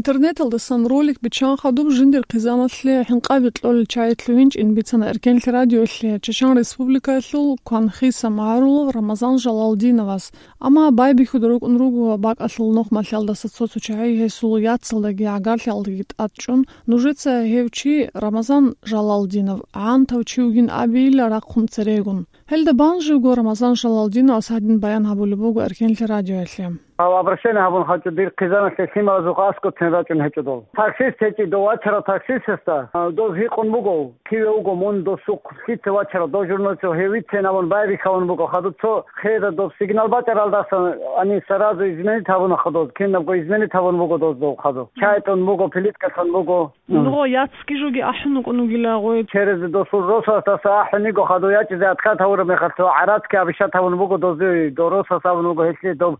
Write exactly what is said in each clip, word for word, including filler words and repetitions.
Интернеталдасан ролик биччан хадуб жиндир хъизаналъе хӀинкъаби кьолел чагӀи лъугьинчӀин бицана Эркенлъи радиоялъе Чачан Республикаялъул Кванхиса магӀарулав Рамазан Жалалдиновас. Амма байбихьуда рукӀун руго бакӀалъул нухмалъалдаса цо-цо чагӀи гьесул яцалдаги гӀагарлъиялдаги тӀадчӀун, нужеца гьев чи Рамазан Жалалдинов гӀантав чи вугин абейилла рахъун церегун. Гьелда бан живго Рамазан Жалалдиновас гьадин баян гьабулеб буго Эркенлъи радиоялъе. Гьав обращение гьабун хачӀо дир хъизаналъе лъималазухъ аскӀоцин рачӀун гьечӀо дол. Таксист гьечӀи дов вачарав таксистасда, а, дов гьикъун буго, киве вуго мун досухъ лъица вачарав, дов журналист гьев вицин абун байбихьавун буго, хадуб цо хеда доб сигнал бачӀаралдасан, они сразу изменить гьабуна хадуз, кинабго изменить гьабун буго доз дов хадуб. Чай тӀун буго, плиткалъун буго. Нугъо яцги жоги ахӀун вукӀун вугила гъой. Через досул росасдаса ахӀун йиго хадув ячӀизе откат гьавураб мехалъ цо гӀаратки абишат гьавун буго дозуй, дов росас абун буго гьелъие доб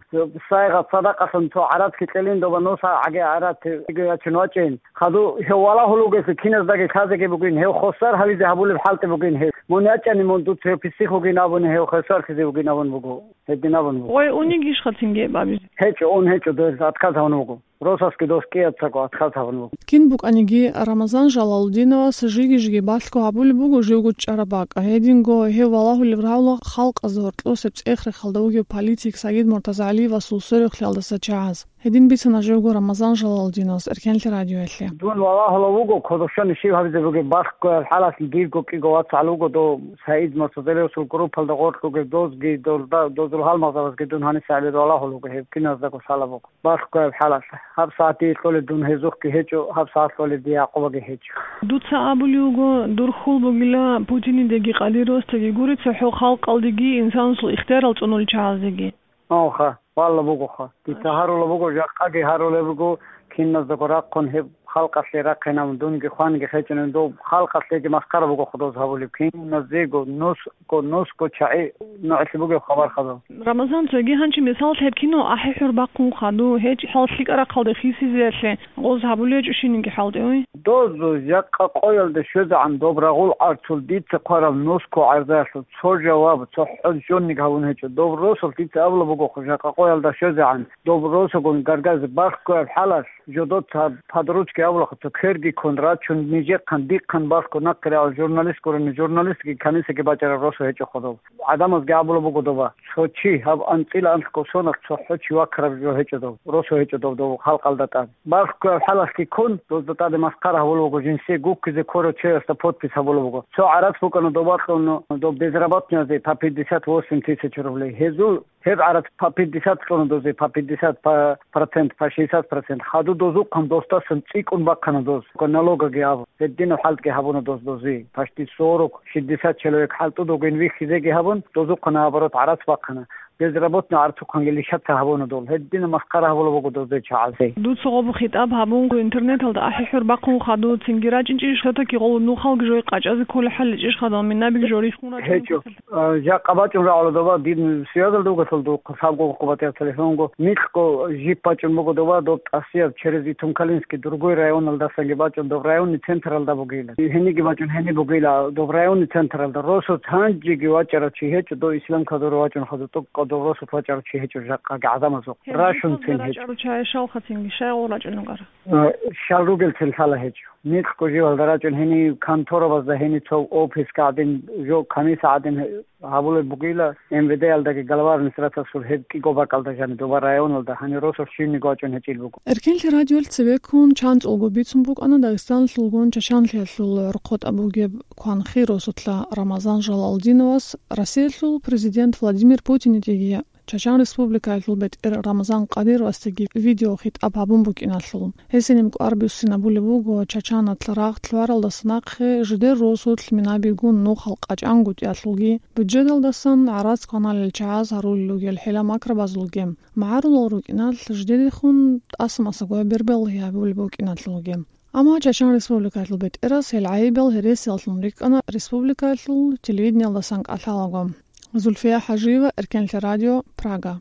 сайгъат садакъалъун цо гӀаратки кьелин доба нуса гӀаги гӀаратги йиго ячун вачӀин. Хадув гьев валагьул вугелъул киназдаги лъазеги бугин, гьев хосар гьавизе гьабулеб хӀалтӀи бугин гьев. Мун ячӀани мун дуца гьев писих вугин абуни гьев хосарлъизе вугин абун буго. Гьедин абун буго. Гъой унигищха цинги гьеб абизе? ГьечӀо, ун гьечӀо, дов откат гьавун вуго. Росасги дос кӀияцаго откат гьабун буго. Кин букӀаниги, Рамазан Жалалудиновас жиги-жиги балъго гьабулеб буго живго чӀараб бакӀ. Гьединго гьев валагьулеб рагьула халкъазда гьоркьосеб цӀех-рехалда вугев политик Сагид МуртазагӀалиевасул сверухълъиялдаса чагӀаз. Гьедин бицана живго Рамазан Жалалудиновас Эркенлъи радиоялъе. Дун валагьулев вуго, кодобщони щиб гьабизе бугеб, балъгояб хӀалалъ дирго кӀиго вацгӀал вуго дов Сагид МуртазагӀалиевасул группалда гъоркь вугев дозги, долда-, дозул гьалмагъзабазги дун гьаниса гьабизе валагьулев вуго, гьеб киназдаго лъала буго. Балъгояб хӀалалъ. Гьаб сагӀат дие кьолеб дун гьезухъги гьечӀо, гьаб сагӀат кьолеб дие Якъубаги гьечӀо. Дуца абулев вуго, дур хьул бугила Путинидеги Кадыровасдаги гури цохӀо халкъалдеги инсанасул ихтиярал цӀунулел чагӀаздеги. Гьанха, валла бугоха. Дица гьарула буго, жакъаги гьарулеб буго, киназдаго рахъун гьеб халкъалъе рахъинабун, дунги хванги хечӀунеб, дов халкъалъеги масхара буго худоз гьабулеб, киназего нус Ко-, нусго чагӀи нугӀлъи бугеб хабар хадуб. Рамазан, цоги гьанчи мисал лъеб кино ахӀи-хӀур бахъун хадуб, гьечӀ хӀал лъикӀа рахъалде хисизеялъе гъоз гьабулей гьечӀо щининги хӀалтӀи, ой? Доз жакъа къоялда щвезегӀан доб рагъул гӀарцул дица хъвараб нусго гӀарзаялъул цо жаваб, цо хӀуж жонниги гьабун гьечӀо. Доб росулъ дица абула бугохъо, жакъа къоялда щвезегӀан, доб росугун гаргазе балъгояб хӀалалъ, жодоца подручки абулахъуца кверги ккун рачун, нижехъан, дихъан балъго нахъе рагӀул журналист гурони, журналистги канисаги бачӀараб росу гьечӀо хадуб. ГӀадамазги абула буго доба, цо чи гьаб анцӀила анлъго соналъ цо хӀо чи вакараб жо гьечӀо доб, росу гьечӀо доб, дов халкъалда тӀад. Балъгояб хӀалалъги ккун, дозда тӀаде масхара гьабула буго, жинсие гуккизе ккорав чиясда подпись гьабула буго. Цо гӀарац букӀана доба кьуна доб безработныйазе по пятьдесят восемь тысяч рублей. Гьезул Гьеб гӀарац по пятьдесят кьуна дозе, по пятьдесят, по процент, по шестьдесят процент. Хадуб дозухъан досдасан цӀикӀкӀун бахъана доз, налогаги абун. Гьединаб хӀалтӀги гьабуна доз дози. Почти сорок, шестьдесят человек хӀалтӀудугин вихьизеги гьабун, дозухъан, наоборот, гӀарац бахъана. Безработный гӀарцухъанги лишаца гьабуна дол. Гьединаб масхара гьабула буго дозде чагӀазе. Дуца гъоб хитӀаб гьабун, интернеталда ахӀи-хӀур бахъун хадуб, цинги рачӀинчӀищ, все-таки гъол нухалги жой къачӀазе кколей хӀаличӀищ хадал, минабиги жо рихун рачӀун? ГьечӀо. А, жакъа бачӀун рагӀула доба, дин связалда вугелъул духъ, лъабго-, къо батӀияб телефонго, микьго жип бачӀун буго доба, доб тӀасияб через Итум-Калинский, другой районалдасанги бачӀун, доб районный централда бугила. Гьениги бачӀун, гьени бугила, доб районный централда. Росулъ гьанжеги вачӀарав чи гьечӀо, дов Ислам Кадыров вачӀун хадуб, тӀокӀкӀав дов росулъ вачӀарав чи гьечӀо жакъаги гӀадамазухъ. Рашунцин гьечӀо. РачӀарав чагӀи щалхацинги, щай гъол рачӀунгара? Э, щал ругелцин лъала гьечӀо. Микьго живалда рачӀун гьенив конторабазда, гьенив цо офиска гӀадин, жо комисса гӀадин гьабулеб бугила, МВД-ялдаги глава администрациялъул гьеб кӀиго бакӀалда жаниб доба районалда, гьанив росулъ щивниги вачӀун гьечӀил буго. Эркенлъи радиоялъ цебеккун чанцӀулго бицун букӀана Дагъистаналъулгун Чачанлъиялъул гӀорхъотӀа бугеб Кванхи росулъа Рамазан Жалалдиновас Россиялъул президент Владимир Путинидеги Чачан Республикаялъул бетӀер Рамазан Кадыровасдаги видеохитӀаб гьабун букӀиналъул. Гьесие нимкӀ арбуссинабулеб буго Чачаналъ рагъ лъугӀаралдаса нахъе жидер росулъ минабигун нухал къачӀангутӀиялъулги, бюджеталдасан гӀарац кваналел чагӀаз гьарулел ругел хӀила-макрабазулги. МагӀарулал рукӀиналъ жидедехун тӀаса-масагояб бербалгьи гьабулеб букӀиналъулги. Амма Чачан Республикаялъул бетӀерас гьел гӀайибал гьересияллъун рикӀкӀана республикаялъул телевидениялдасан кӀалъалаго. Зульфия ХӀажиева, Эркенлъи радио, Прага.